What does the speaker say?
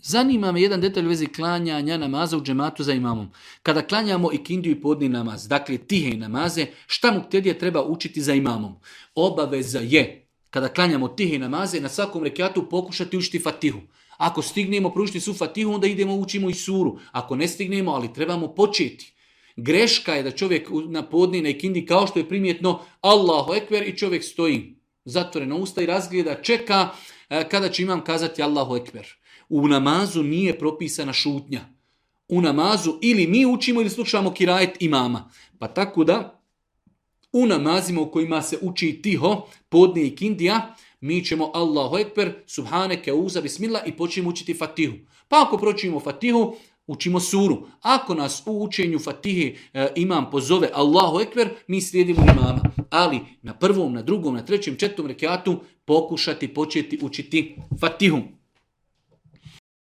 Zanima me jedan detalj u vezi klanjanja namaza u džematu za imamom. Kada klanjamo ikindiju i podni namaz, dakle tihe namaze, šta muktedija treba učiti za imamom? Obaveza je, kada klanjamo tihe namaze, na svakom rekatu pokušati učiti fatihu. Ako stignemo proučiti su fatihu, onda idemo učimo i suru. Ako ne stignemo, ali trebamo početi. Greška je da čovjek na podni, na ikindi, kao što je primjetno, Allahu ekber i čovjek stoji zatvoreno usta i razgleda, čeka kada će imam kazati Allahu ekber. U namazu nije propisana šutnja. U namazu ili mi učimo ili slušamo kirajet imama. Pa tako da u namazima u kojima se uči tiho, podne i kindija, mi ćemo Allahu ekber, subhaneke, uza, bismillah i počnemo učiti fatihu. Pa ako pročimo fatihu, učimo suru. Ako nas u učenju fatihe imam pozove Allahu ekber, mi slijedimo imama. Ali na prvom, na drugom, na trećem, četvrtom rekatu pokušati početi učiti fatihu.